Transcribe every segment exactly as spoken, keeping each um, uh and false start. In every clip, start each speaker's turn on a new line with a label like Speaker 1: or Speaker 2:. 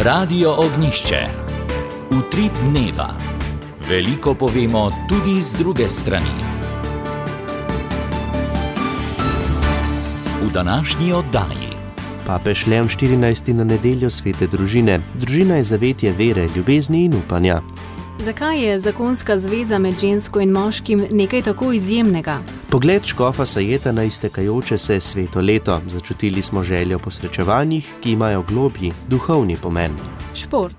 Speaker 1: Radio Ognjišče. Utrip dneva. Veliko povemo tudi z druge strani. V današnji oddaji.
Speaker 2: Papež Leon štirinajsti na nedeljo svete družine. Družina je zavetje vere, ljubezni in upanja.
Speaker 3: Zakaj je zakonska zveza med žensko in moškim nekaj tako izjemnega?
Speaker 2: Pogled škofa Sajeta na iztekajoče se sveto leto. Začutili smo željo po srečevanjih, ki imajo globji, duhovni pomen.
Speaker 3: Šport.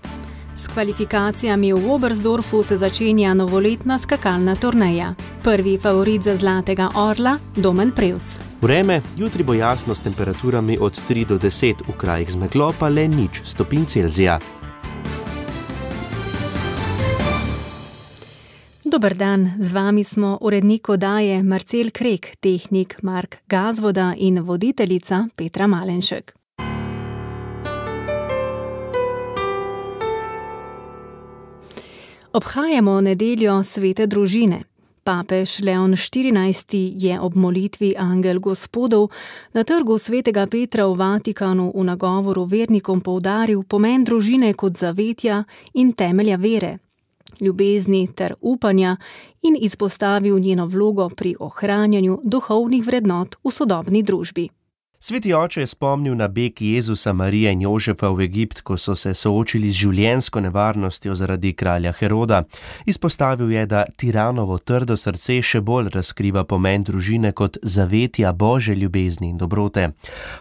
Speaker 3: S kvalifikacijami v Oberstdorfu se začenja novoletna skakalna turneja. Prvi favorit za Zlatega orla, Domen Prevc.
Speaker 2: Vreme, jutri bo jasno s temperaturami od tri do deset, v krajih z meglo pa le nič stopinj Celzija.
Speaker 3: Dober dan, z vami smo urednik oddaje Marcel Krek, tehnik Mark Gazvoda in voditeljica Petra Malenšek. Obhajamo nedeljo svete družine. Papež Leon štirinajsti je ob molitvi Angel Gospodov na trgu svetega Petra v Vatikanu v nagovoru vernikom poudaril pomen družine kot zavetja in temelja vere, ljubezni ter upanja in izpostavil njeno vlogo pri ohranjanju duhovnih vrednot v sodobni družbi.
Speaker 2: Sveti oče je spomnil na beg Jezusa, Marije in Jožefa v Egipt, ko so se soočili z življenjsko nevarnostjo zaradi kralja Heroda. Izpostavil je, da tiranovo trdo srce še bolj razkriva pomen družine kot zavetja Božje ljubezni in dobrote.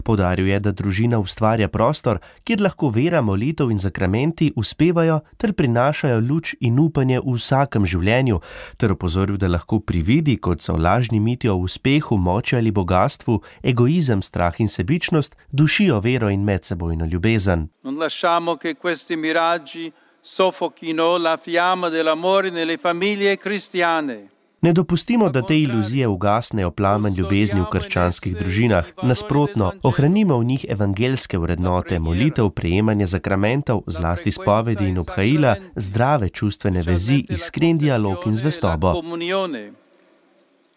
Speaker 2: Poudaril je, da družina ustvarja prostor, kjer lahko vera, molitev in zakramenti uspevajo ter prinašajo luč in upanje v vsakem življenju, ter opozoril, da lahko prividi, kot so lažni miti o uspehu, moči ali bogatstvu, egoizem, strah in sebičnost, dušijo vero in medsebojno ljubezen.
Speaker 4: Non lasciamo che questi miraggi soffochino la fiamma dell'amore nelle famiglie cristiane.
Speaker 2: Ne dopustimo, da te iluzije ugasnejo plamen ljubezni v krščanskih družinah. Nasprotno, ohranimo v njih evangelske vrednote, molitev, prejemanje zakramentov, zlasti spovedi in obhajila, zdrave čustvene vezi, iskren dialog in zvestobo.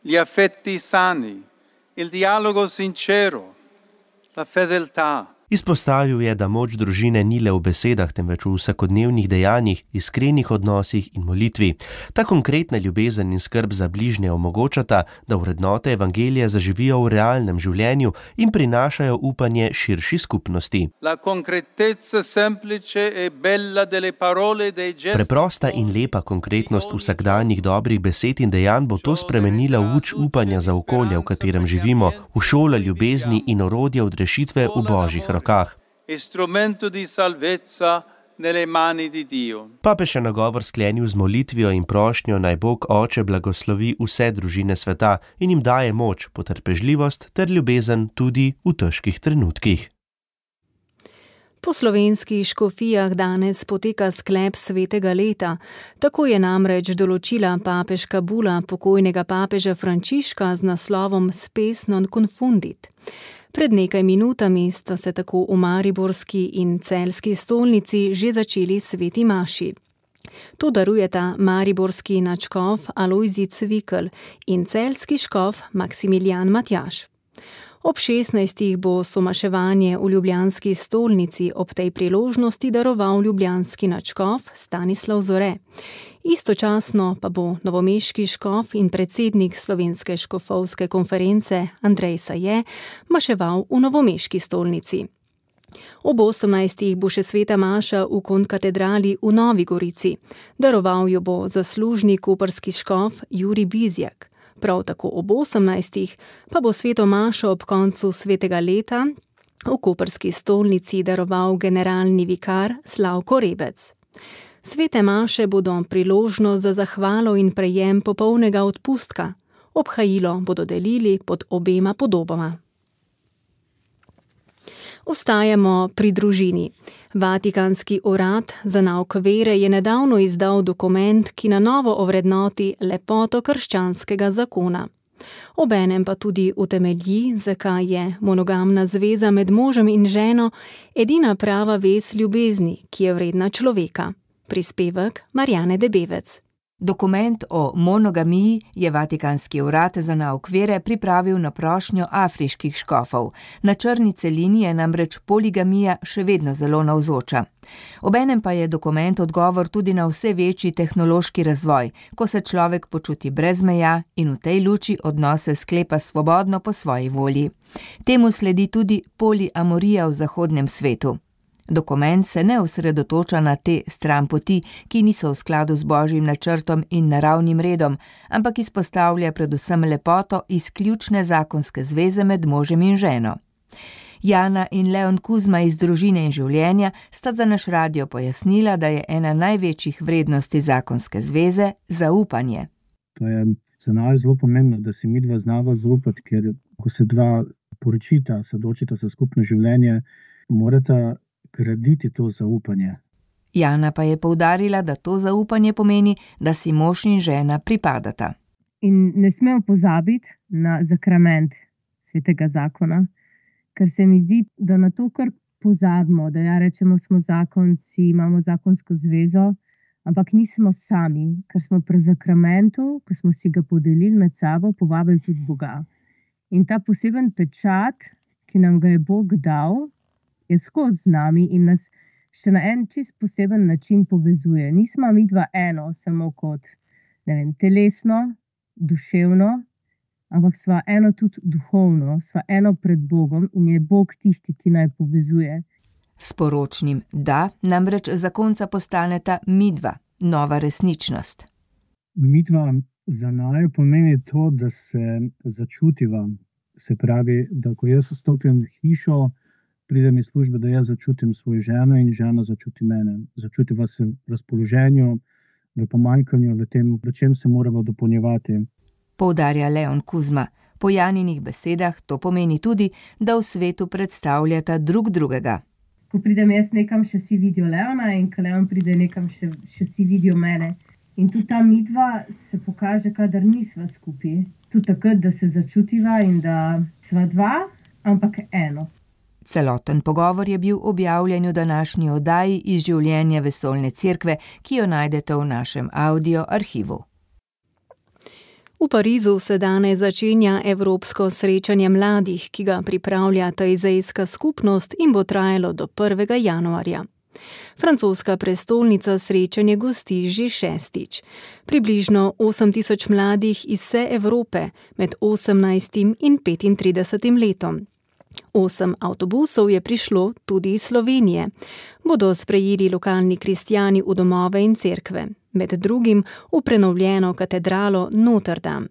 Speaker 4: Gli affetti sani, il dialogo sincero, la fedeltà.
Speaker 2: Izpostavil je, da moč družine ni le v besedah, temveč v vsakodnevnih dejanjih, iskrenih odnosih in molitvi. Ta konkretna ljubezen in skrb za bližnje omogočata, da vrednote evangelija zaživijo v realnem življenju in prinašajo upanje širši skupnosti.
Speaker 4: La concretezza semplice e bella delle parole dei gesti.
Speaker 2: Preprosta in lepa konkretnost vsakdanjih dobrih besed in dejanj bo to spremenila v luč upanja za okolje, v katerem živimo, v šole ljubezni in orodje odrešitve v Božjih rokah.
Speaker 4: Instrumento di salvezza nelle mani di Dio.
Speaker 2: Papež je nagovor sklenil z molitvijo in prošnjo, naj Bog Oče blagoslovi vse družine sveta in jim daje moč, potrpežljivost ter ljubezen tudi v težkih trenutkih.
Speaker 3: Po slovenskih škofijah danes poteka sklep svetega leta. Tako je namreč določila papeška bula pokojnega papeža Frančiška z naslovom Spes non confundit. Pred nekaj minutami sta se tako v mariborski in celjski stolnici že začeli sveti maši. To darujeta mariborski nadškof Alojzij Cvikl in celjski škof Maksimilijan Matjaž. Ob šestnajstih bo somaševanje v ljubljanski stolnici ob tej priložnosti daroval ljubljanski nadškof Stanislav Zore. Istočasno pa bo novomeški škof in predsednik Slovenske škofovske konference Andrej Saje maševal v novomeški stolnici. Ob osemnajstih bo še sveta maša v konkatedrali v Novi Gorici. Daroval jo bo zaslužni koprski škof Jurij Bizjak. Prav tako ob osemnajstih pa bo sveto mašo ob koncu svetega leta v koprski stolnici daroval generalni vikar Slavko Rebec. Svete maše bodo priložnost za zahvalo in prejem popolnega odpustka. Obhajilo bodo delili pod obema podobama. Ostajamo pri družini. Vatikanski urad za nauk vere je nedavno izdal dokument, ki na novo ovrednoti lepoto krščanskega zakona. Obenem pa tudi utemelji, zakaj je monogamna zveza med možem in ženo edina prava vez ljubezni, ki je vredna človeka. Prispevek Marjane Debevec.
Speaker 5: Dokument o monogamiji je Vatikanski urad za nauk vere pripravil na prošnjo afriških škofov. Na črni celini je namreč poligamija še vedno zelo navzoča. Obenem pa je dokument odgovor tudi na vse večji tehnološki razvoj, ko se človek počuti brez meja in v tej luči odnose sklepa svobodno po svoji volji. Temu sledi tudi poliamorija v zahodnem svetu. Dokument se ne osredotoča na te stranpoti, ki niso v skladu z božjim načrtom in naravnim redom, ampak izpostavlja predvsem lepoto izključne zakonske zveze med možem in ženo. Jana in Leon Kuzma iz Družine in življenja sta za naš radio pojasnila, da je ena največjih vrednosti zakonske zveze zaupanje.
Speaker 6: To je za nas zelo pomembno, da si midva znava zaupati, ker ko se dva poročita, se odločita za skupno življenje, morata graditi to zaupanje.
Speaker 5: Jana pa je poudarila, da to zaupanje pomeni, da si mož in žena pripadata.
Speaker 7: In ne smemo pozabiti na sakrament svetega zakona, ker se mi zdi, da na to kar pozabimo, da ja rečemo, smo zakonci, imamo zakonsko zvezo, ampak nismo sami, ker smo pri sakramentu, ko smo si ga podelili med sabo, povabili tudi Boga. In ta poseben pečat, ki nam ga je Bog dal, je skozi z nami in nas še na en čist poseben način povezuje. Nismo mi dva eno, samo kot, ne vem, telesno, duševno, ampak sva eno tudi duhovno, sva eno pred Bogom in je Bog tisti, ki naj povezuje.
Speaker 5: S poročnim da namreč zakonca postaneta midva, nova resničnost.
Speaker 6: Midva za naju pomeni to, da se začutiva. Se pravi, da ko jaz vstopim v hišo, pridem iz službe, da jaz začutim svojo ženo in žena začuti mene. Začutiva se v razpoloženju, v pomanjkanju, v tem, v čem se moramo dopolnjevati.
Speaker 5: Poudarja Leon Kuzma. Po Janinih besedah to pomeni tudi, da v svetu predstavljata drug drugega.
Speaker 7: Ko pridem jaz nekam, še si vidijo Leona in ko Leon pride nekam, še, še si vidijo mene. In tudi ta midva se pokaže, kadar nisva skupaj. Tudi takrat, da se začutiva in da sva dva, ampak eno.
Speaker 5: Celoten pogovor je bil objavljen v današnji oddaji iz življenja Vesoljne cerkve, ki jo najdete v našem audio arhivu.
Speaker 3: V Parizu se danes začenja evropsko srečanje mladih, ki ga pripravlja Tajzejska skupnost in bo trajalo do prvega januarja. Francoska prestolnica srečanje gosti že šestič. Približno osem tisoč mladih iz vse Evrope med osemnajstim in petintridesetim letom. Osem avtobusov je prišlo tudi iz Slovenije. Bodo sprejeli lokalni kristjani v domove in cerkve, med drugim v prenovljeno katedralo Notre Dame.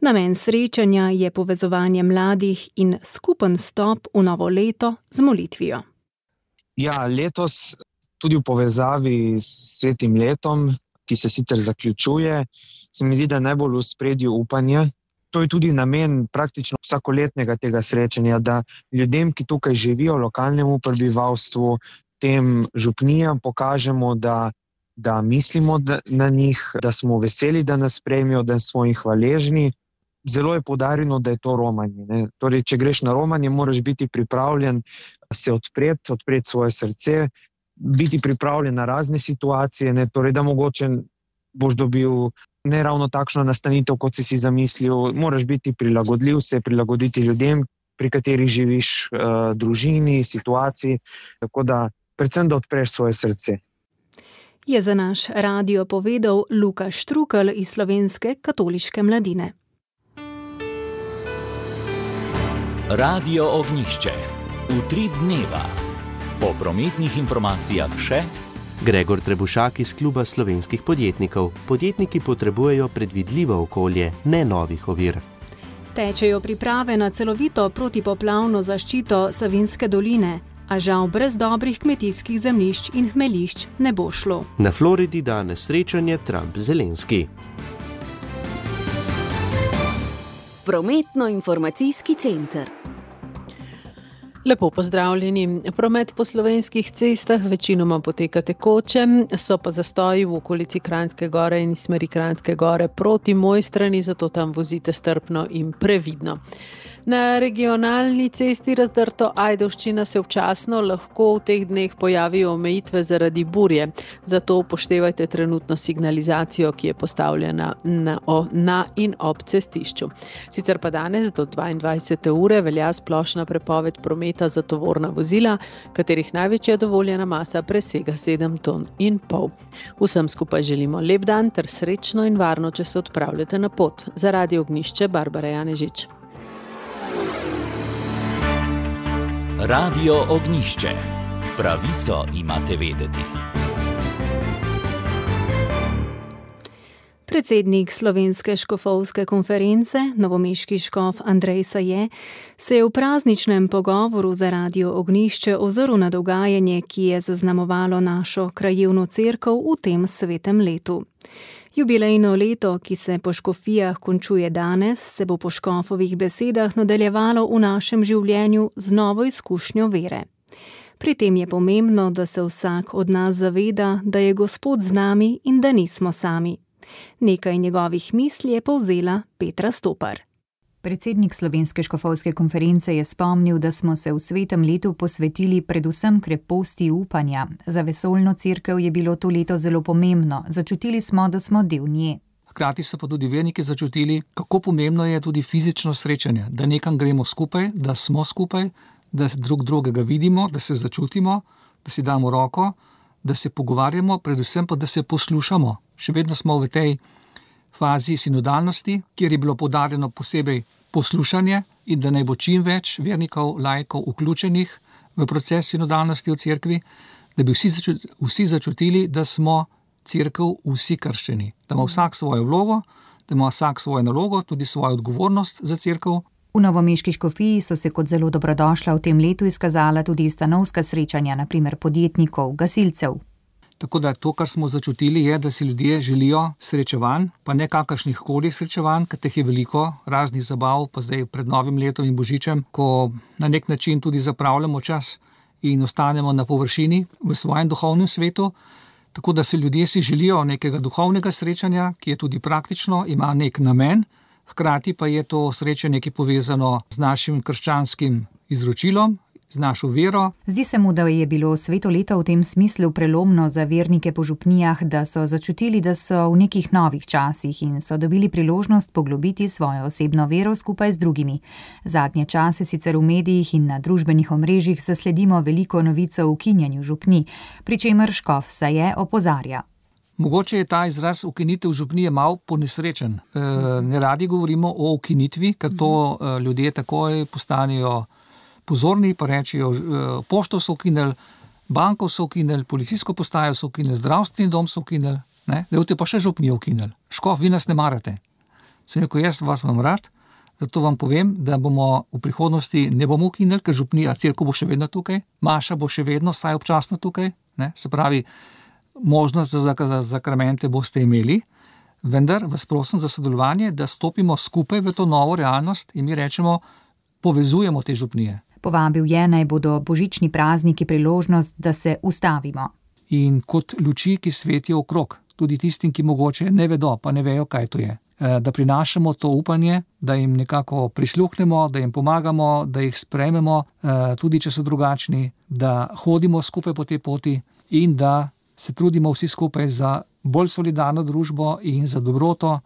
Speaker 3: Namen srečanja je povezovanje mladih in skupen vstop v novo leto z molitvijo.
Speaker 8: Ja, letos tudi v povezavi s svetim letom, ki se sicer zaključuje, se mi zdi, da najbolj v ospredju upanje. To je tudi namen praktično vsakoletnega tega srečanja, da ljudem, ki tukaj živijo, lokalnemu prebivalstvu, tem župnijam pokažemo, da, da mislimo na njih, da smo veseli, da nas sprejmijo, da smo jih hvaležni. Zelo je poudarjeno, da je to romanje. Ne? Torej, če greš na romanje, moraš biti pripravljen se odpreti, odpreti svoje srce, biti pripravljen na razne situacije, ne? Torej, da mogoče boš dobil ne ravno takšno nastanitev, kot si si zamislil. Moraš biti prilagodljiv, se prilagoditi ljudem, pri katerih živiš, uh, družini, situaciji, tako da predvsem, da odpreš svoje srce.
Speaker 3: Je za naš radio povedal Luka Štrukelj iz Slovenske katoliške mladine.
Speaker 1: Radio Ognjišče. Utrip dneva. Po prometnih informacijah še
Speaker 2: Gregor Trebušak iz Kluba slovenskih podjetnikov. Podjetniki potrebujejo predvidljivo okolje, ne novih ovir.
Speaker 3: Tečejo priprave na celovito protipoplavno zaščito Savinjske doline, a žal brez dobrih kmetijskih zemljišč in hmeljišč ne bo šlo.
Speaker 2: Na Floridi danes srečanje Trump-Zelenski.
Speaker 9: Prometno-informacijski center.
Speaker 10: Lepo pozdravljeni. Promet po slovenskih cestah večinoma poteka tekoče, so pa zastoji v okolici Kranjske gore in smeri Kranjske gore proti Mojstrani, zato tam vozite strpno in previdno. Na regionalni cesti Razdrto Ajdovščina se občasno lahko v teh dneh pojavijo omejitve zaradi burje, zato upoštevajte trenutno signalizacijo, ki je postavljena na, o, na in ob cestišču. Sicer pa danes do dvaindvajsete ure velja splošna prepoved prometa za tovorna vozila, katerih največja dovoljena masa presega sedem ton in pol. Vsem skupaj želimo lep dan ter srečno in varno, če se odpravljate na pot. Za Radio Ognjišče, Barbara Janežič.
Speaker 1: Radio Ognjišče. Pravico imate vedeti.
Speaker 3: Predsednik Slovenske škofovske konference, novomeški škof Andrej Saje, se je v prazničnem pogovoru za Radio Ognjišče ozrl na dogajanje, ki je zaznamovalo našo krajevno cerkev v tem svetem letu. Jubilejno leto, ki se po škofijah končuje danes, se bo po škofovih besedah nadaljevalo v našem življenju z novo izkušnjo vere. Pri tem je pomembno, da se vsak od nas zaveda, da je Gospod z nami in da nismo sami. Nekaj njegovih misli je povzela Petra Stopar.
Speaker 5: Predsednik Slovenske škofovske konference je spomnil, da smo se v svetem letu posvetili predvsem kreposti upanja. Za vesoljno cerkev je bilo to leto zelo pomembno. Začutili smo, da smo del nje.
Speaker 9: Hkrati so pa tudi verniki začutili, kako pomembno je tudi fizično srečanje, da nekam gremo skupaj, da smo skupaj, da drug drugega vidimo, da se začutimo, da si damo roko, da se pogovarjamo, predvsem pa, da se poslušamo. Še vedno smo v tej fazi sinodalnosti, kjer je bilo poudarjeno posebej poslušanje in da naj bo čim več vernikov, laikov vključenih v proces sinodalnosti v cerkvi, da bi vsi, začut, vsi začutili, da smo cerkev vsi krščeni, da ima vsak svojo vlogo, da ima vsak svojo nalogo, tudi svojo odgovornost za cerkev.
Speaker 5: V novomeški škofiji so se kot zelo dobrodošla v tem letu izkazala tudi stanovska srečanja, na primer podjetnikov, gasilcev.
Speaker 9: Tako da to, kar smo začutili, je, da si ljudje želijo srečevanj, pa ne kakršnih koli srečevanj, ker teh je veliko, raznih zabav, pa zdaj pred novim letom in božičem, ko na nek način tudi zapravljamo čas in ostanemo na površini v svojem duhovnem svetu. Tako da se ljudje si želijo nekega duhovnega srečanja, ki je tudi praktično, ima nek namen, hkrati pa je to srečanje, ki je povezano z našim krščanskim izročilom, z našo vero.
Speaker 5: Zdi se mu, da je bilo sveto leto v tem smislu prelomno za vernike po župnijah, da so začutili, da so v nekih novih časih in so dobili priložnost poglobiti svojo osebno vero skupaj z drugimi. Zadnje čase sicer v medijih in na družbenih omrežjih zasledimo veliko novic o ukinjanju župnij, pri čemer škof Saje opozarja.
Speaker 9: Mogoče je ta izraz ukinitev župnije malo ponesrečen. E, ne radi govorimo o ukinitvi, ker to e, ljudje takoj postanejo pozorni, pa rečijo, pošto so ukinili, banko so ukinili, policijsko postajo so ukinili, zdravstveni dom so ukinili, ne, da pa še župnijo ukinili. Škof, vi nas ne marate. Sem rekel, jaz vas imam rad, zato vam povem, da bomo v prihodnosti ne bomo ukinili, ker župnija, cerkev bo še vedno tukaj, maša bo še vedno, saj občasno tukaj, ne, se pravi, možnost za, za zakramente boste imeli, vendar vas prosim za sodelovanje, da stopimo skupaj v to novo realnost in mi rečemo, povezujemo te župnije.
Speaker 5: Povabil je, naj bodo božični prazniki priložnost, da se ustavimo.
Speaker 9: In kot luči, ki svetijo okrog, tudi tistim, ki mogoče ne vedo, pa ne vejo, kaj to je. Da prinašamo to upanje, da jim nekako prisluhnemo, da jim pomagamo, da jih sprejmemo, tudi če so drugačni, da hodimo skupaj po tej poti in da se trudimo vsi skupaj za bolj solidarno družbo in za dobroto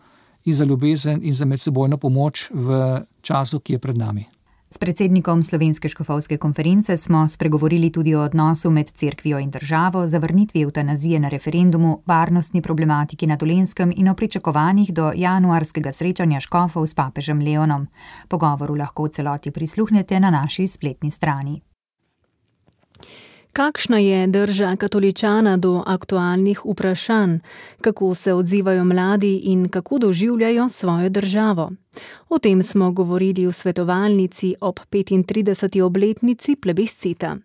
Speaker 9: in za ljubezen in za medsebojno pomoč v času, ki je pred nami.
Speaker 5: S predsednikom Slovenske škofovske konference smo spregovorili tudi o odnosu med cerkvijo in državo, zavrnitvi evtanazije na referendumu, varnostni problematiki na Dolenjskem in o pričakovanjih do januarskega srečanja škofov s papežem Leonom. Pogovoru lahko v celoti prisluhnete na naši spletni strani.
Speaker 3: Kakšna je drža katoličana do aktualnih vprašanj, kako se odzivajo mladi in kako doživljajo svojo državo? O tem smo govorili v svetovalnici ob petintrideseti obletnici plebiscita.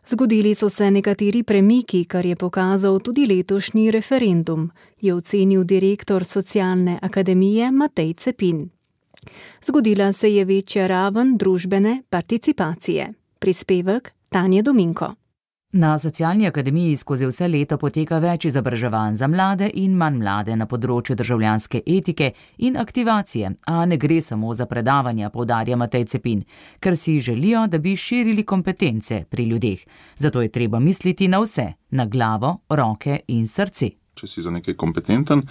Speaker 3: Zgodili so se nekateri premiki, kar je pokazal tudi letošnji referendum, je ocenil direktor Socialne akademije Matej Cepin. Zgodila se je večja raven družbene participacije. Prispevek Tanje Dominko.
Speaker 11: Na Socialni akademiji skozi vse leto poteka več izobraževanj za mlade in manj mlade na področju državljanske etike in aktivacije, a ne gre samo za predavanja, poudarja Matej Cepin, ker si želijo, da bi širili kompetence pri ljudeh. Zato je treba misliti na vse, na glavo, roke in srce.
Speaker 12: Če si za nekaj kompetenten,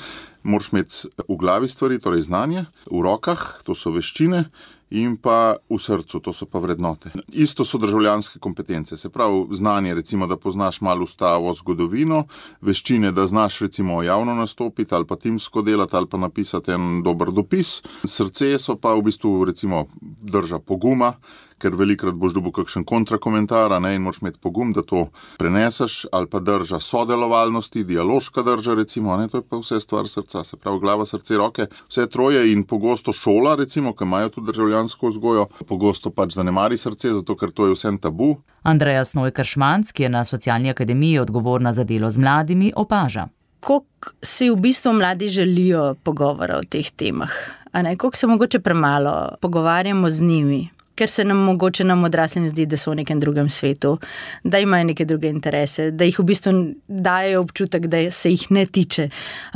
Speaker 12: moraš imeti v glavi stvari, torej znanje, v rokah, to so veščine, in pa v srcu, to so pa vrednote. Isto so državljanske kompetence, se pravi znanje, recimo, da poznaš malo ustavo, zgodovino, veščine, da znaš recimo javno nastopiti ali pa timsko delati ali pa napisati en dober dopis. Srce so pa v bistvu recimo drža poguma, ker velikrat boš dobil kakšen kontrakomentar, ne, in moraš imeti pogum, da to preneseš, ali pa drža sodelovalnosti, dialoška drža recimo, ne, to je pa vse stvar srca, se pravi glava, srce, roke, vse troje in pogosto šola recimo, ki imajo tudi državljansko vzgojo, pogosto pač zanemari srce, zato ker to je vsem tabu.
Speaker 11: Andreja Snojkar-Šmanc, ki je na Socialni akademiji odgovorna za delo z mladimi, opaža.
Speaker 13: Koliko si v bistvu mladi želijo pogovora o teh temah, a ne, koliko se mogoče premalo pogovarjamo z njimi. Ker se nam mogoče nam odraslim zdi, da so v nekem drugem svetu, da imajo neke druge interese, da jih v bistvu dajo občutek, da se jih ne tiče.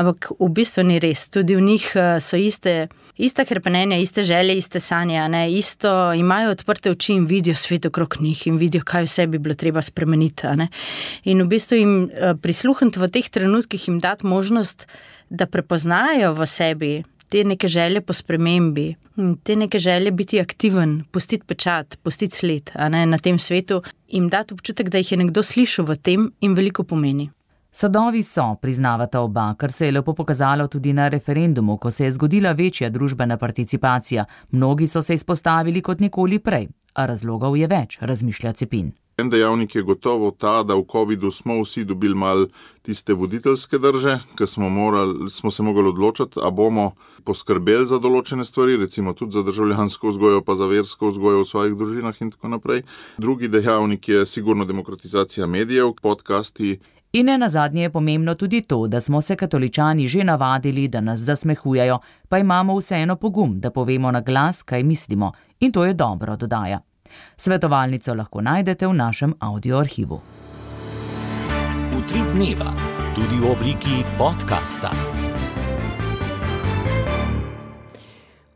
Speaker 13: Ampak v bistvu ni res. Tudi v njih so iste, ista hrepenenja, iste želje, iste sanje, ne? Isto imajo odprte oči in vidijo svet okrog njih in vidijo, kaj vse bi bilo treba spremeniti. Ne? In v bistvu jim prisluhniti v teh trenutkih, jim dati možnost, da prepoznajo v sebi te neke želje po spremembi, te neke želje biti aktiven, pustiti pečat, pustiti sled, a ne, na tem svetu, jim dati občutek, da jih je nekdo slišal v tem in veliko pomeni.
Speaker 11: Sadovi so, priznavata oba, kar se je lepo pokazalo tudi na referendumu, ko se je zgodila večja družbena participacija. Mnogi so se izpostavili kot nikoli prej, a razlogov je več, razmišlja Cepin.
Speaker 12: En dejavnik je gotovo ta, da v covidu smo vsi dobili mal tiste voditeljske drže, ker smo, morali, smo se mogli odločiti, a bomo poskrbeli za določene stvari, recimo tudi za državljansko vzgojo, pa za versko vzgojo v svojih družinah in tako naprej. Drugi dejavnik je sigurno demokratizacija medijev, podcasti.
Speaker 11: In ne nazadnje je pomembno tudi to, da smo se katoličani že navadili, da nas zasmehujejo, pa imamo vseeno pogum, da povemo na glas, kaj mislimo. In to je dobro, dodaja. Svetovalnico lahko najdete v našem audioarhivu.
Speaker 1: Utrip dneva, tudi v obliki podcasta.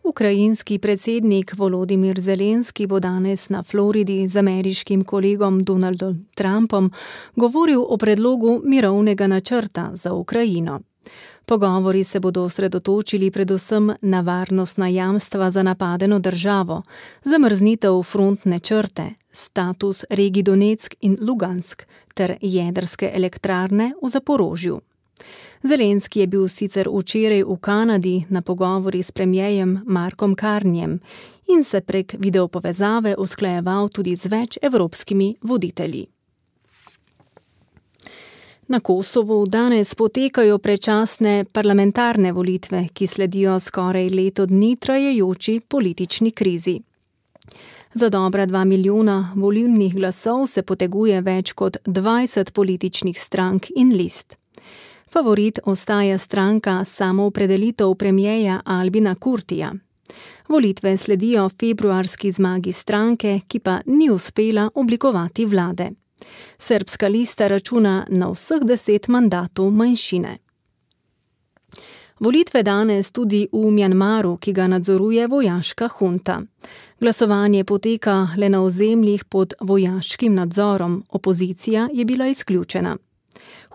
Speaker 3: Ukrajinski predsednik Volodimir Zelenski bo danes na Floridi z ameriškim kolegom Donaldom Trumpom govoril o predlogu mirovnega načrta za Ukrajino. Pogovori se bodo osredotočili predvsem na varnostna jamstva za napadeno državo, zamrznitev frontne črte, status regij Donetsk in Lugansk ter jedrske elektrarne v Zaporožju. Zelenski je bil sicer včeraj v Kanadi na pogovori s premierjem Markom Carneyjem in se prek videopovezave usklajeval tudi z več evropskimi voditelji. Na Kosovu danes potekajo predčasne parlamentarne volitve, ki sledijo skoraj leto dni trajajoči politični krizi. Za dobra dva milijona volilnih glasov se poteguje več kot dvajset političnih strank in list. Favorit ostaja stranka Samoopredelitev premierja Albina Kurtija. Volitve sledijo februarski zmagi stranke, ki pa ni uspela oblikovati vlade. Srbska lista računa na vseh deset mandatov manjšine. Volitve danes tudi v Mjanmaru, ki ga nadzoruje vojaška hunta. Glasovanje poteka le na ozemljih pod vojaškim nadzorom, opozicija je bila izključena.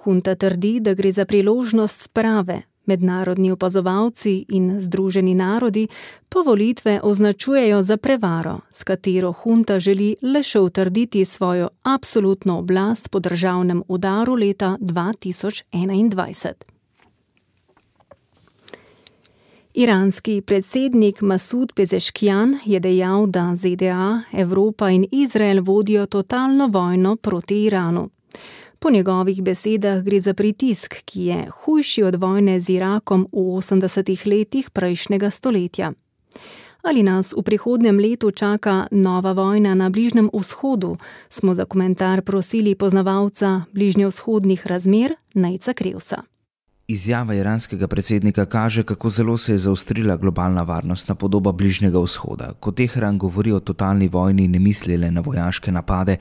Speaker 3: Hunta trdi, da gre za priložnost sprave. Mednarodni opazovalci in Združeni narodi pa volitve označujejo za prevaro, s katero hunta želi le še utrditi svojo absolutno oblast po državnem udaru leta dva tisoč enaindvajset. Iranski predsednik Masud Pezeškijan je dejal, da Z D A, Evropa in Izrael vodijo totalno vojno proti Iranu. Po njegovih besedah gre za pritisk, ki je hujši od vojne z Irakom v osemdesetih letih prejšnjega stoletja. Ali nas v prihodnjem letu čaka nova vojna na Bližnjem vzhodu, smo za komentar prosili poznavalca bližnjevzhodnih razmer Nejca Krevsa.
Speaker 14: Izjava iranskega predsednika kaže, kako zelo se je zaostrila globalna varnostna podoba Bližnjega vzhoda, ko Teheran govori o totalni vojni, ne misli le na vojaške napade,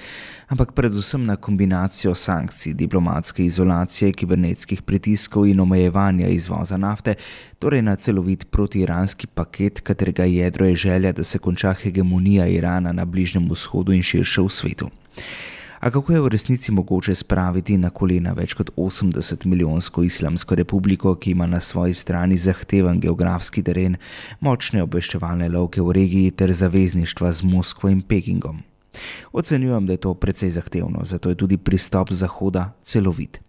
Speaker 14: ampak predvsem na kombinacijo sankcij, diplomatske izolacije, kibernetskih pritiskov in omejevanja izvoza nafte, torej na celovit protiiranski paket, katerega jedro je želja, da se konča hegemonija Irana na Bližnjem vzhodu in širše v svetu. A kako je v resnici mogoče spraviti na kolena več kot osemdeset milijonsko islamsko republiko, ki ima na svoji strani zahteven geografski teren, močne obveščevalne lovke v regiji ter zavezništva z Moskvo in Pekingom? Ocenjujem, da je to precej zahtevno, zato je tudi pristop Zahoda celovit.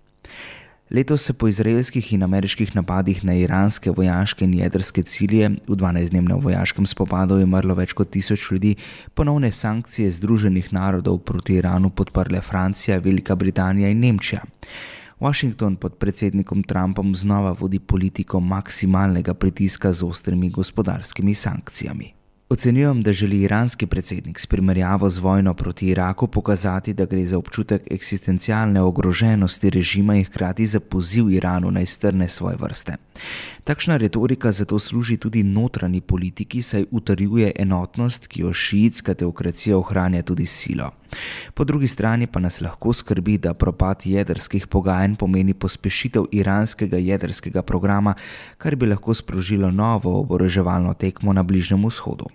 Speaker 14: Letos se po izraelskih in ameriških napadih na iranske vojaške in jedrske cilje v dvanajstdnevnem vojaškem spopadu je umrlo več kot tisoč ljudi, ponovne sankcije Združenih narodov proti Iranu podprle Francija, Velika Britanija in Nemčija. Washington pod predsednikom Trumpom znova vodi politiko maksimalnega pritiska z ostrimi gospodarskimi sankcijami. Ocenjujem, da želi iranski predsednik s primerjavo z vojno proti Iraku pokazati, da gre za občutek eksistencialne ogroženosti režima in hkrati za poziv Iranu naj strne svoje vrste. Takšna retorika zato služi tudi notranji politiki, saj utrjuje enotnost, ki jo šiitska teokracija ohranja tudi s silo. Po drugi strani pa nas lahko skrbi, da propad jedrskih pogajanj pomeni pospešitev iranskega jedrskega programa, kar bi lahko sprožilo novo oboroževalno tekmo na Bližnjem vzhodu.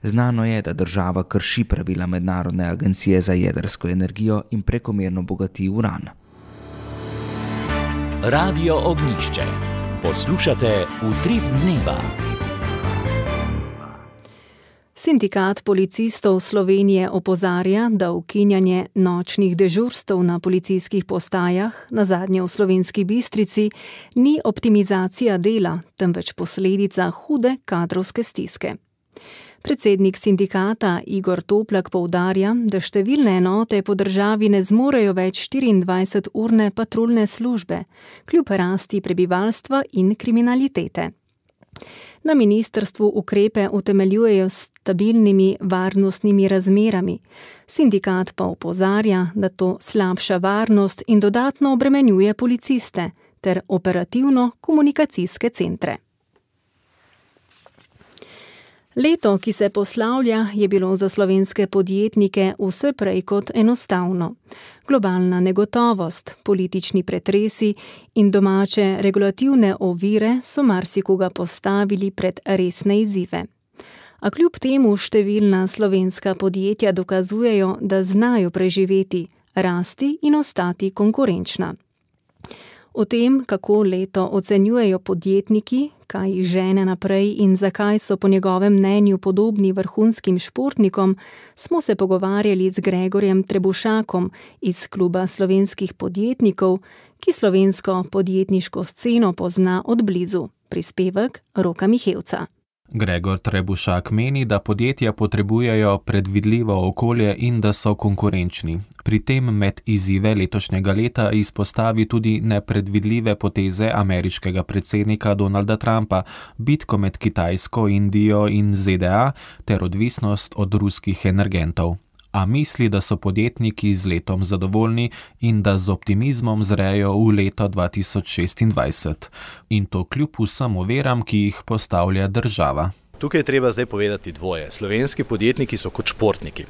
Speaker 14: Znano je, da država krši pravila Mednarodne agencije za jedrsko energijo in prekomerno bogati uran.
Speaker 1: Radio Ognjišče. Poslušate Utrip dneva.
Speaker 3: Sindikat policistov Slovenije opozarja, da ukinjanje nočnih dežurstev na policijskih postajah, nazadnje v Slovenski Bistrici, ni optimizacija dela, temveč posledica hude kadrovske stiske. Predsednik sindikata Igor Toplak poudarja, da številne enote po državi ne zmorejo več štiriindvajseturne patruljne službe, kljub rasti prebivalstva in kriminalitete. Na ministrstvu ukrepe utemeljujejo s stabilnimi varnostnimi razmerami. Sindikat pa opozarja, da to slabša varnost in dodatno obremenjuje policiste ter operativno-komunikacijske centre. Leto, ki se poslavlja, je bilo za slovenske podjetnike vse prej kot enostavno. Globalna negotovost, politični pretresi in domače regulativne ovire so marsikoga postavili pred resne izzive. A kljub temu številna slovenska podjetja dokazujejo, da znajo preživeti, rasti in ostati konkurenčna. O tem, kako leto ocenjujejo podjetniki, kaj jih žene naprej in zakaj so po njegovem mnenju podobni vrhunskim športnikom, smo se pogovarjali z Gregorjem Trebušakom iz Kluba slovenskih podjetnikov, ki slovensko podjetniško sceno pozna od blizu. Prispevek Roka Mihevca.
Speaker 15: Gregor Trebušak meni, da podjetja potrebujejo predvidljivo okolje in da so konkurenčni. Pri tem med izzive letošnjega leta izpostavi tudi nepredvidljive poteze ameriškega predsednika Donalda Trumpa, bitko med Kitajsko, Indijo in Z D A ter odvisnost od ruskih energentov. A misli, da so podjetniki z letom zadovoljni in da z optimizmom zrejo v leto dva tisoč šestindvajset. In to kljub vsem oviram, ki jih postavlja država.
Speaker 16: Tukaj je treba zdaj povedati dvoje. Slovenski podjetniki so kot športniki.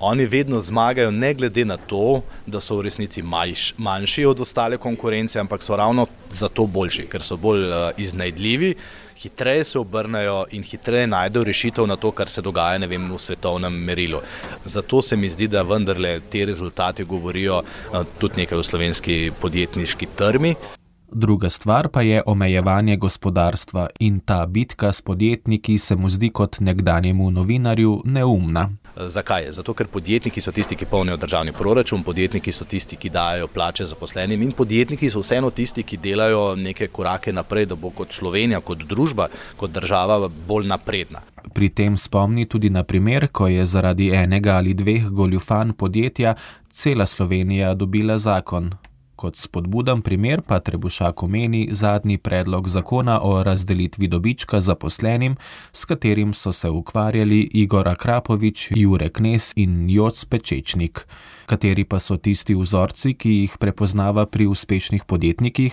Speaker 16: Oni vedno zmagajo ne glede na to, da so v resnici manjši, manjši od ostale konkurence, ampak so ravno zato boljši, ker so bolj iznajdljivi, hitreje se obrnejo in hitreje najdejo rešitev na to, kar se dogaja, ne vem, v svetovnem merilu. Zato se mi zdi, da vendarle te rezultati govorijo tudi nekaj o slovenski podjetniški trmi.
Speaker 15: Druga stvar pa je omejevanje gospodarstva in ta bitka s podjetniki se mu zdi kot nekdanjemu novinarju neumna.
Speaker 16: Zakaj? Zato, ker podjetniki so tisti, ki polnijo državni proračun, podjetniki so tisti, ki dajo plače zaposlenim in podjetniki so vseeno tisti, ki delajo neke korake naprej, da bo kot Slovenija, kot družba, kot država bolj napredna.
Speaker 15: Pri tem spomni tudi na primer, ko je zaradi enega ali dveh goljufanj podjetja cela Slovenija dobila zakon. Kot spodbuden primer pa Trebušak omeni zadnji predlog zakona o razdelitvi dobička zaposlenim, s katerim so se ukvarjali Igor Akrapovič, Jure Knez in Joc Pečečnik. Kateri pa so tisti vzorci, ki jih prepoznava pri uspešnih podjetnikih,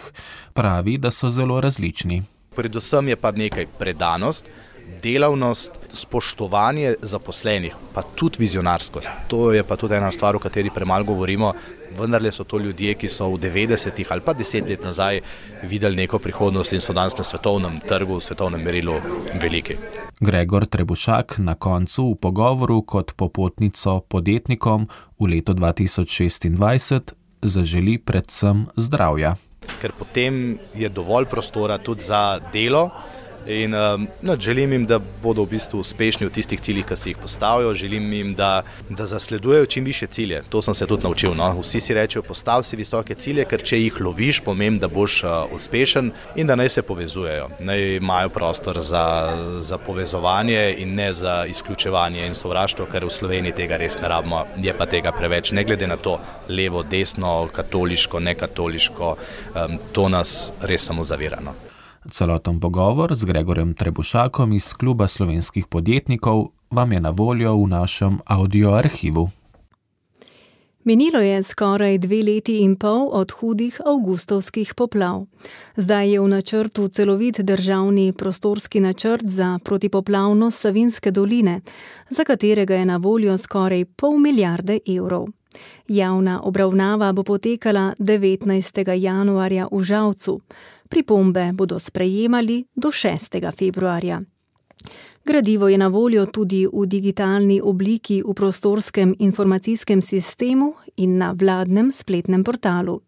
Speaker 15: pravi, da so zelo različni.
Speaker 16: Predvsem je pa nekaj predanost, delavnost, spoštovanje zaposlenih, pa tudi vizionarskost. To je pa tudi ena stvar, o kateri premalo govorimo, vendarle so to ljudje, ki so v devetdesetih ali pa deset let nazaj videli neko prihodnost in so danes na svetovnem trgu, v svetovnem merilu veliki.
Speaker 15: Gregor Trebušak na koncu v pogovoru kot popotnico podjetnikom v letu dva tisoč šestindvajset zaželi predvsem zdravja.
Speaker 16: Ker potem je dovolj prostora tudi za delo in no, želim jim, da bodo v bistvu uspešni v tistih ciljih, ki si jih postavijo, želim jim, da, da zasledujejo čim više cilje. To sem se tudi naučil. No? Vsi si rečejo, postavi si visoke cilje, ker če jih loviš, pomeni, da boš uh, uspešen in da naj se povezujejo. Naj imajo prostor za, za povezovanje in ne za izključevanje in sovraštvo, ker v Sloveniji tega res ne rabimo, je pa tega preveč. Ne glede na to, levo, desno, katoliško, nekatoliško, um, to nas res samo zavira. No?
Speaker 15: Celoten pogovor z Gregorjem Trebušakom iz Kluba slovenskih podjetnikov vam je na voljo v našem audio arhivu.
Speaker 3: Minilo je skoraj dve leti in pol od hudih avgustovskih poplav. Zdaj je v načrtu celovit državni prostorski načrt za protipoplavnost Savinjske doline, za katerega je na voljo skoraj pol milijarde evrov. Javna obravnava bo potekala devetnajstega januarja v Žalcu. Pripombe bodo sprejemali do šestega februarja. Gradivo je na voljo tudi v digitalni obliki v prostorskem informacijskem sistemu in na vladnem spletnem portalu.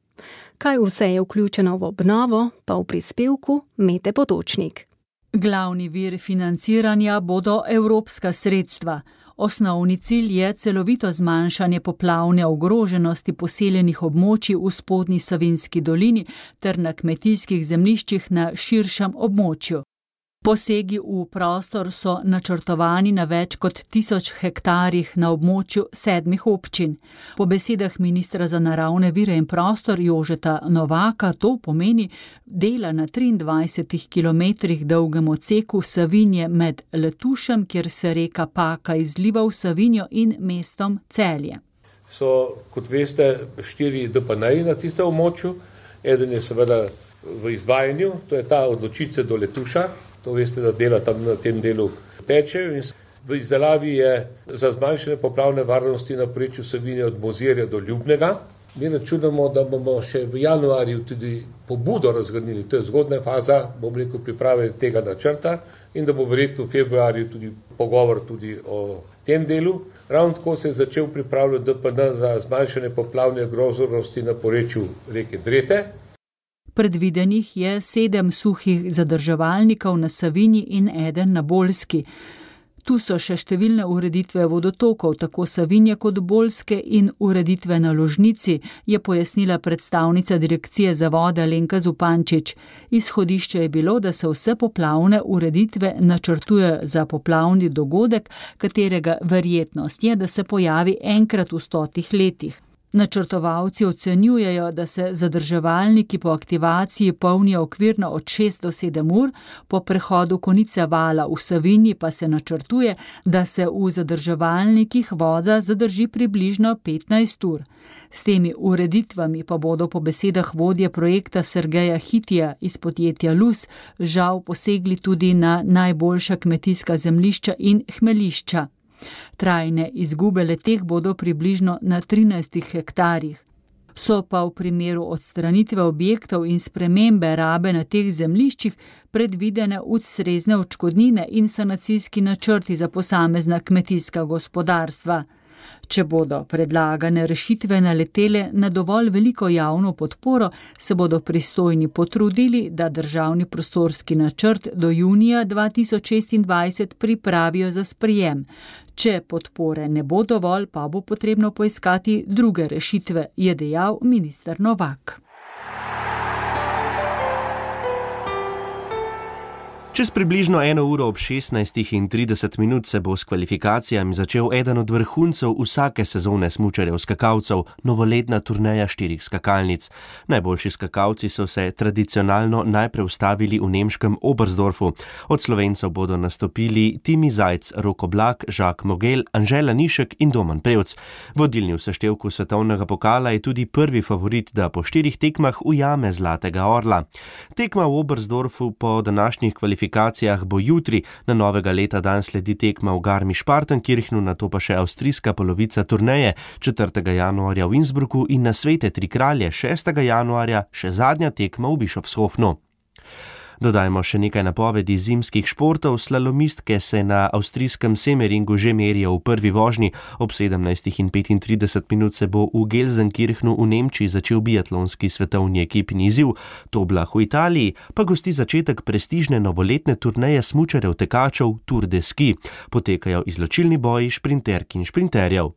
Speaker 3: Kaj vse je vključeno v obnovo, pa v prispevku Mete Potočnik.
Speaker 17: Glavni vir financiranja bodo evropska sredstva. Osnovni cilj je celovito zmanjšanje poplavne ogroženosti poseljenih območij v spodnji Savinjski dolini ter na kmetijskih zemljiščih na širšem območju. Posegi v prostor so načrtovani na več kot tisoč hektarjih na območju sedmih občin. Po besedah ministra za naravne vire in prostor Jožeta Novaka to pomeni dela na triindvajsetih kilometrih dolgem odseku Savinje med Letušem, kjer se reka Paka izliva v Savinjo, in mestom Celje.
Speaker 18: So, kot veste, štiri D P N-ji na tistem območju. Eden je seveda v izvajanju, to je ta od Ločice do Letuša. To veste, da dela tam na tem delu tečejo. V izdelavi je za zmanjšanje poplavne varnosti na porečju Savinje od Mozirja do Ljubnega. Mi računamo, da bomo še v januarju tudi pobudo razgradili. To je zgodna faza, bom rekel, priprave tega načrta in da bo verjetno v februarju tudi pogovor tudi o tem delu. Ravno tako se je začel pripravljati D P N za zmanjšanje poplavne ogroženosti na porečju reke Drete.
Speaker 17: Predvidenih je sedem suhih zadrževalnikov na Savinji in eden na Bolski. Tu so še številne ureditve vodotokov, tako Savinje kot Bolske, in ureditve na Ložnici, je pojasnila predstavnica Direkcije za vode Alenka Zupančič. Izhodišče je bilo, da se vse poplavne ureditve načrtuje za poplavni dogodek, katerega verjetnost je, da se pojavi enkrat v stotih letih. Načrtovalci ocenjujejo, da se zadrževalniki po aktivaciji polnijo okvirno od šest do sedem ur, po prehodu konice vala v Savinji pa se načrtuje, da se v zadrževalnikih voda zadrži približno petnajst ur. S temi ureditvami pa bodo po besedah vodje projekta Sergeja Hitija iz podjetja Luz žal posegli tudi na najboljša kmetijska zemljišča in hmelišča. Trajne izgube leteh bodo približno na trinajstih hektarjih. So pa v primeru odstranitve objektov in spremembe rabe na teh zemljiščih predvidene ustrezne odškodnine in sanacijski načrti za posamezna kmetijska gospodarstva. Če bodo predlagane rešitve naletele na dovolj veliko javno podporo, se bodo pristojni potrudili, da državni prostorski načrt do junija dva tisoč šestindvajset pripravijo za sprejem. Če podpore ne bo dovolj, pa bo potrebno poiskati druge rešitve, je dejal minister Novak.
Speaker 2: Čez približno eno uro ob šestnajstih in trideset minut se bo s kvalifikacijami začel eden od vrhuncev vsake sezone smučarjev skakalcev, novoletna turneja štirih skakalnic. Najboljši skakalci so se tradicionalno najprej ustavili v nemškem Oberstdorfu. Od Slovencev bodo nastopili Timi Zajc, Rok Oblak, Jacques Mogel, Anžela Nišek in Domen Prevc. Vodilni v seštevku svetovnega pokala je tudi prvi favorit, da po štirih tekmah ujame zlatega orla. Tekma v Oberstdorfu po današnjih kvalifikacijah bo jutri, na novega leta dan sledi tekma v Garmisch-Partenkirchnu, nato pa še avstrijska polovica turneje četrtega januarja v Innsbrucku in na Svete tri kralje šestega januarja še zadnja tekma v Bischofshofnu. Dodajmo še nekaj napovedi zimskih športov. Slalomistke se na avstrijskem Semeringu že merijo v prvi vožnji. Ob sedemnajstih in petintrideset minut se bo v Gelsenkirchnu v Nemčiji začel biatlonski svetovni ekipni izziv. Toblach v Italiji pa gosti začetek prestižne novoletne turneje smučarjev tekačev Tour de Ski. Potekajo izločilni boji šprinterk in šprinterjev.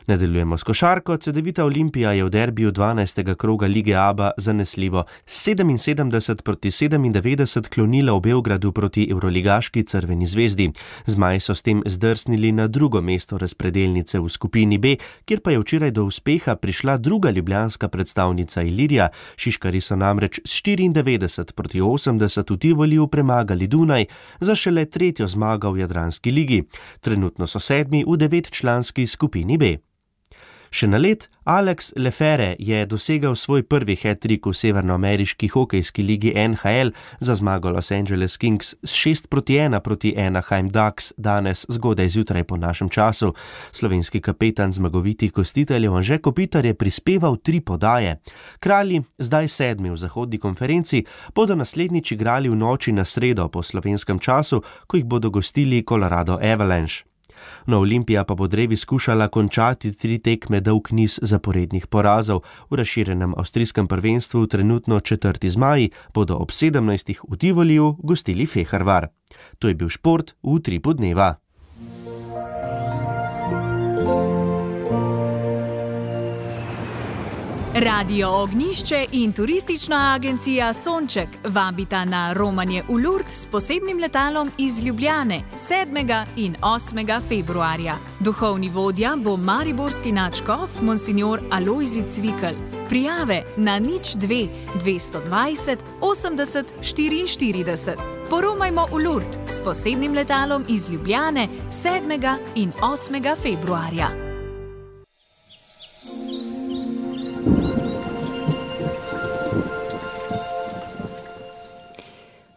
Speaker 2: Nadaljujemo s košarko. Cedevita Olimpija je v derbiju dvanajstega kroga Lige Aba zanesljivo sedeminsedemdeset proti sedemindevetdeset klonila v Beogradu proti evroligaški Crveni zvezdi. Zmaji so s tem zdrsnili na drugo mesto razpredelnice v skupini B, kjer pa je včeraj do uspeha prišla druga ljubljanska predstavnica Ilirija. Šiškari so namreč s štiriindevetdeset proti osemdeset v Tivoliju premagali Dunaj za šele tretjo zmago v Jadranski ligi. Trenutno so sedmi v devetčlanski skupini B. Še na led, Alex Lefere je dosegal svoj prvi hat-trick v severnoameriški hokejski ligi N H L za zmago Los Angeles Kings s šest proti ena proti Anaheim Ducks danes zgodaj zjutraj po našem času. Slovenski kapetan zmagovitih gostiteljev Anže Kopitar je prispeval tri podaje. Kralji, zdaj sedmi v zahodni konferenci, bodo naslednjič igrali v noči na sredo po slovenskem času, ko jih bodo gostili Colorado Avalanche. No, Olimpija pa bo drevi skušala končati tri tekme dolg niz zaporednih porazov. V razširjenem avstrijskem prvenstvu trenutno četrti zmaji bodo ob sedemnajstih v Tivoliju gostili Fehervar. To je bil šport v Utripu dneva.
Speaker 19: Radio Ognjišče in turistična agencija Sonček vabita na romanje v Lourdes s posebnim letalom iz Ljubljane sedmega in osmega februarja. Duhovni vodja bo mariborski nadškof monsignor Alojzij Cvikl. Prijave na nič dve dvesto dvajset osemdeset štiriinštirideset. Poromajmo v Lourdes s posebnim letalom iz Ljubljane sedmega in osmega februarja.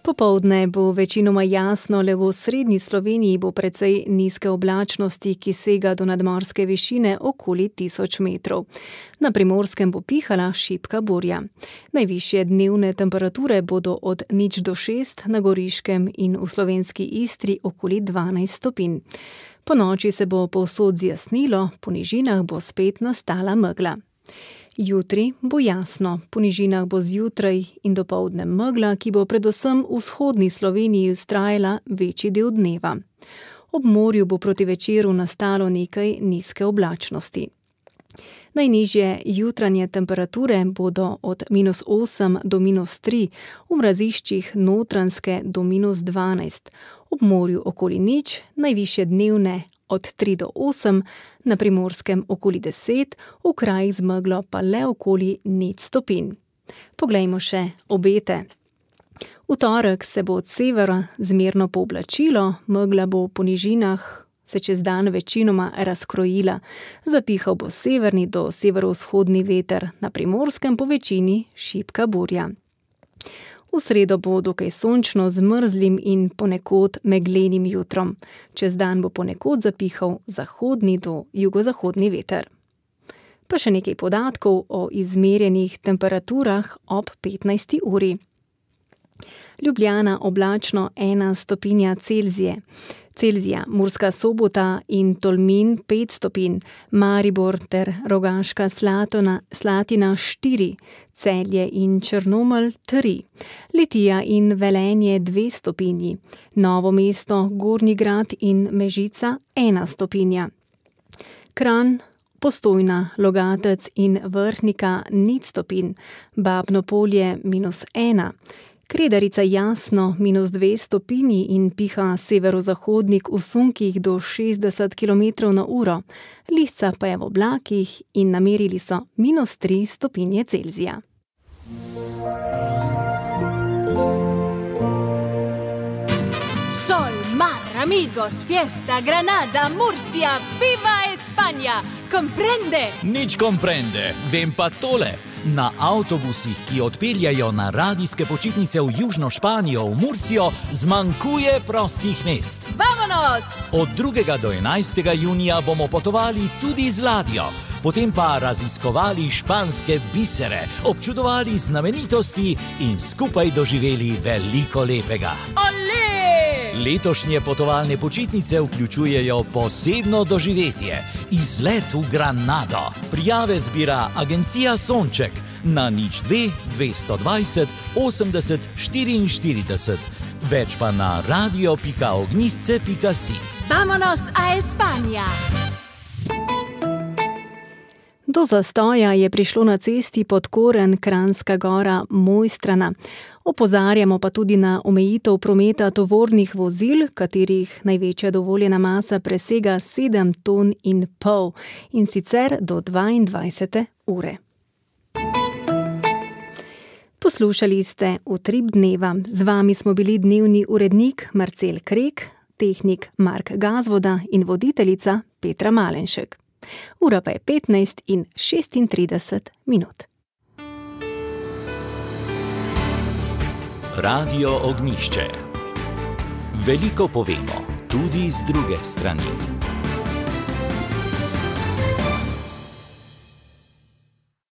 Speaker 3: Popoldne bo večinoma jasno, le v srednji Sloveniji bo precej nizke oblačnosti, ki sega do nadmorske višine okoli tisoč metrov. Na Primorskem bo pihala šibka burja. Najvišje dnevne temperature bodo od nič do šest, na Goriškem in v slovenski Istri okoli dvanajst stopinj. Po noči se bo povsod zjasnilo, po nižinah bo spet nastala megla. Jutri bo jasno, po nižinah bo zjutraj in dopoldne megla, ki bo predvsem v vzhodni Sloveniji vztrajala večji del dneva. Ob morju bo proti večeru nastalo nekaj nizke oblačnosti. Najnižje jutranje temperature bodo od minus osem do minus tri, v mraziščih Notranjske do minus dvanajst, ob morju okoli nič, najvišje dnevne od tri do osem, na Primorskem okoli deset, v krajih z meglo pa le okoli nič stopinj. Poglejmo še obete. V torek se bo od severa zmerno pooblačilo, megla bo po nižinah se čez dan večinoma razkrojila. Zapihal bo severni do severovzhodni veter, na Primorskem po večini šibka burja. V sredo bo dokaj sončno z mrzlim in ponekod meglenim jutrom. Čez dan bo ponekod zapihal zahodni do jugozahodni veter. Pa še nekaj podatkov o izmerjenih temperaturah ob petnajsti uri. Ljubljana oblačno ena stopinja Celzije. Celzija, Murska Sobota in Tolmin pet stopinj, Maribor ter Rogaška Slatona, Slatina štiri, Celje in Črnomelj tri, Litija in Velenje dve stopinji, Novo mesto, Gornji Grad in Mežica ena stopinja. Kranj, Postojna, Logatec in Vrhnika nič stopinj, Babno Polje minus ena, Kredarica jasno minus dve stopinji in piha severozahodnik v sunkih do šestdeset kilometrov na uro. Lisca pa je v oblakih in namerili so minus tri stopinje Celzija.
Speaker 19: Sol, mar, amigos, fiesta, Granada, Murcia, viva España! Comprende?
Speaker 1: Nič comprende, vem pa tole. Na avtobusih, ki odpeljajo na radijske počitnice v Južno Španijo, v Mursijo, zmanjkuje prostih mest.
Speaker 19: Vamonos!
Speaker 1: Od drugega do enajstega junija bomo potovali tudi z ladjo, potem pa raziskovali španske bisere, občudovali znamenitosti in skupaj doživeli veliko lepega.
Speaker 19: Olé!
Speaker 1: Letošnje potovalne počitnice vključujejo posebno doživetje, izlet v Granado. Prijave zbira agencija Sonček na nič dve dvesto dvajset osemdeset štiriinštirideset, več pa na radio pika ognjisce pika si.
Speaker 19: Vamonos a España!
Speaker 3: Do zastoja je prišlo na cesti Podkoren, Kranjska Gora, Mojstrana. Opozarjamo pa tudi na omejitev prometa tovornih vozil, katerih največja dovoljena masa presega sedem ton in pol, in sicer do dvaindvajsete ure. Poslušali ste Utrip dneva. Z vami smo bili dnevni urednik Marcel Krek, tehnik Mark Gazvoda in voditeljica Petra Malenšek. Ura pa je petnajst in šestintrideset minut.
Speaker 1: Radio Ognjišče. Veliko povemo, tudi z druge strani.